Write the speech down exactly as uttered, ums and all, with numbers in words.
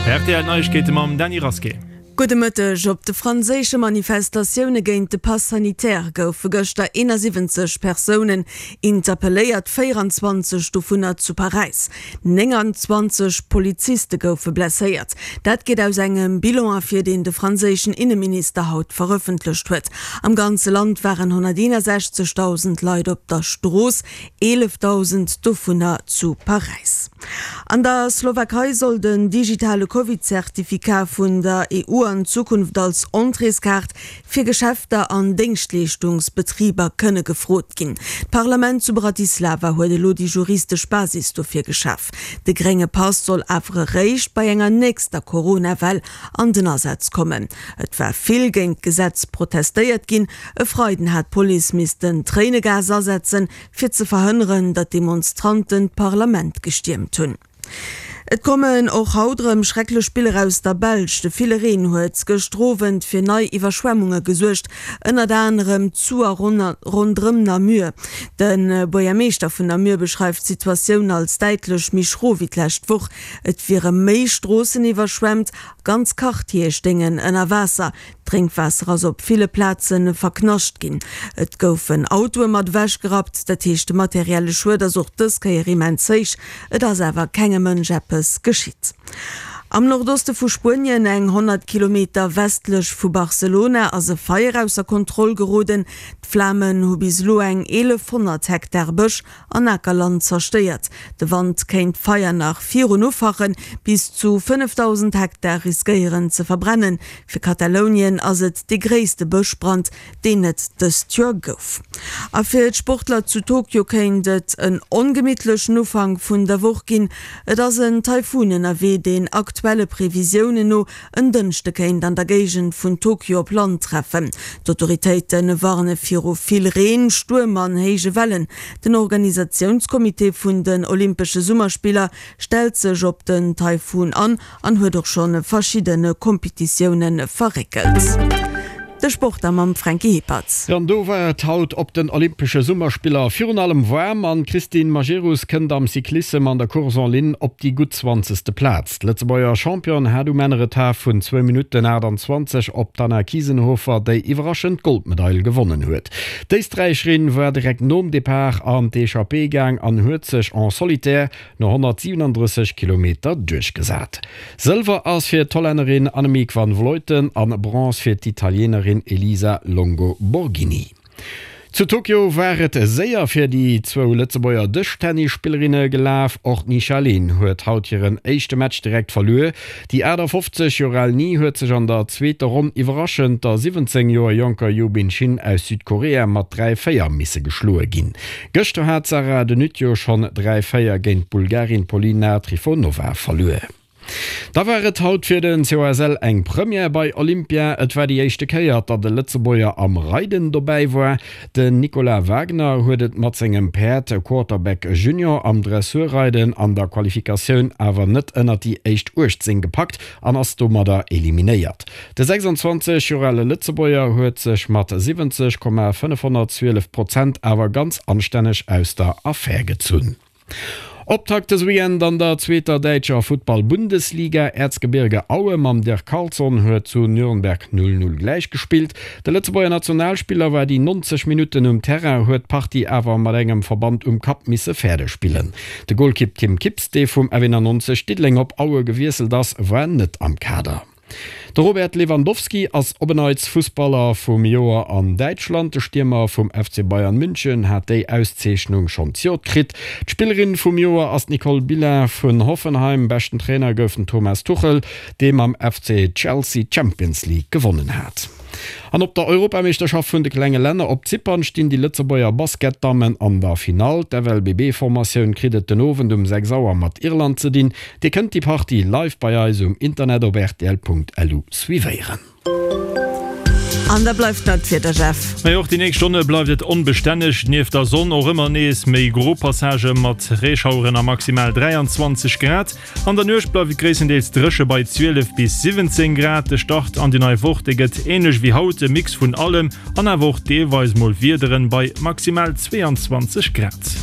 Rtl Neiegkeete mam Dany Rasqué. Gudde Mëtteg. Op de franséische Manifestatioune géint de Pass sanitaire goufe gëschter eenasiwwenzeg Persounen interpelléiert, véieranzwanzeg dovunner zu Paräis. Nénganzwanzeg Poliziste goufe blesséiert. Dat geet aus engem Bilan ervir, deen de franséischen Inneminister haut verëffentlecht huet. Am ganze Land waren honnerteenasechzegdausend Leit op der Strooss, eelefdausend dovunner zu Paräis. An der Slowakei soll den digitale Covid-Zertifikat vun der E U an Zukunft als Entréeskaart fir Geschäfter an Déngschtleeschtungsbetriber kënne gefrot ginn. D'Parlament zu Bratislava huet elo déi juristesch Basis dofir geschaf. De grénge Pass soll awer eréischt bei enger nächster Corona-Well an den Asaz kommen. Et war vill géint d'Gesetz protestéiert ginn. E Freiden hat d'Police missten Tréinegas asetzen, fir ze verhënneren, datt Demonstranten d'Parlament gestiermt hunn. Et kommen och haut erëm schrecklech Biller aus der Belsch. De ville Reen huet gëschter Owend fir nei Iwwerschwemmunge gesuergt, ënnert anerem zu a ronderëm Namur. De Buergermeeschter vun Namur beschreift d'Situatioun als däitlech méi schro wéi d'lescht Woch. Et wiere méi Stroossen iwwerschwemmt, ganz Quartiere stéingen ënner Waasser. D'Drénkwaasser ass op ville Plaze verknascht ginn. Et goufen Autoe mat ewech gerappt. Dat heescht, de materielle Schued ass och dës Kéier immens héich. Et ass awer kengem Mënsch eppes geschitt. Am Nordoste vu Spuenien, eng honnert Kilometer westlech vu Barcelona, ass e Feier ausser Kontroll geroden. D'Flamen hu bis elo eng eelefhonnert Hektar Bësch an Akerland zerstéiert. De Wand kéint d'Feier nach virun ufachen, bis zu fënnefdausend Hektar riskéieren ze verbrennen. Fir Katalounien ass et dee gréisste Bëschbrand, deen et dëst Joer gouf. A fir d'Sportler zu Tokio kéint et en ongemittlechen Ufank vun der Woch ginn. Et ass en Taifun ënnerwee, deen aktuelle Previsiounen no en Dënschde kéint an der Géigend vun Tokio op Land treffen. D'Autoritéite warne viru vill Reen, Stuerm an héije Wellen. Den Organisatiounscomité vun den Olympesche Summerspiller stellt sech op den Taifun an an huet och scho verschidde Kompetitioune verréckelt. De Sport da mam Franky Hippert. An do war et haut op den Olympesche Summerspiller virun allem waarm an d'Christine Majerus kënnt am Cyclissem an der Course en ligne op déi gutt zwanzegste Plaz. D'Lëtzebuerger Championne hat um Enn e Retard vun zwou Minutten aachtanzwanzeg op d'Anna Kiesenhofer, déi iwwerraschend d'Goldmedail gewonnen huet. D'Éisträicherin war direkt nom Depart an d'Echappée gaang an huet sech en solitaire no honnertsiwenundrësseg Kilometer duerchgesat. Sëlwer ass fir d'Hollännerin Annemiek van Vleuten an Bronze fir d'Italienerin Elisa Longo Borghini. Zu Tokio war et séier fir déi zwou Lëtzebuerger Dëschtennisspillerinne gelaf. Och d'Nisha Lin huet haut hiren éischte Match direkt verluer. Déi aachtafoffzeg Joer al Ni huet sech an der zweeter Ronn iwwerraschend der siwwenzéng Joer jonker Yubin Shin aus Südkorea mat dräi, véier misse geschloe ginn. Gëschter hat d'Sarah De Nutte jo schonn dräi, véier géint d'Bulgarin Polina Trifonova verluer. Da war et haut fir den C O S L eng Première bei Olympia. Et war déi éischte Kéier, datt e Lëtzebuerger am Reiden dobäi war. Den Nicolas Wagner huet et mat sengem Päerd Quarterback Junior am Dressurreiden an der Qualifikatioun awer net ënnert déi éischt uechtzéng gepackt an ass domadder eliminéiert. De sechsanzwanzeg Joer ale Lëtzebuerger huet sech mat siwwenzeg Komma fënnefhonnertzwielef Prozent awer ganz anstänneg aus der Affär gezunn. Optakt dëse Weekend an der zweeter däitscher Futtball-Bundesliga. Erzgebirge Aue mam Dirk Carlson huet zu Nürnberg null null gläichgespillt. De Lëtzebuerger Nationalspiller war déi neunzeg Minutten um Terrain, huet d'Partie awer mat engem Verband um Kapp misse fäerdeg spillen. De Golkipp Tim Kips, dee vum F eenannonzeg Diddeleng op Aue gewiesselt ass, war net am Kader. De Robert Lewandowski ass op en Neits Fussballer vum Joer an Däitschland. De Stiermer vum F C Bayern München hat déi Auszeechnung schonn zejoert kritt. D'Spillerin vum Joer ass d'Nicole Billa vun Hoffenheim. Beschten Trainer gouf den Thomas Tuchel, dee mam F C Chelsea d'Champions League gewonnen hat. An op der Europameeschterschaft vun de klenge Länner op Zypern stinn déi Lëtzebuerger Basketdammen an der Finall. D'F L B B-Formatioun kritt et den Owend um sechs Auer mat Irland ze dinn. Dir kënnt déi Partie live bei eis um Internet op rtl Punkt L U suivéieren. An da bleift nach d'Wieder, Jeff. Majo, och déi nächst Stonne bleift et onbestänneg, nieft der Sonn och ëmmer nees méi gro Passagë mat Reeschaueren a maximal dräianzwanzeg Grad. An der Nuecht bleift et gréisstendeels dréche bei zwielef bis siwwenzéng Grad. De Start an déi nei Woch, dee gëtt änlech wéi haut, e Mix vun allem an awer och deelweis mol Wiederen bei maximal zweeanzwanzeg Grad.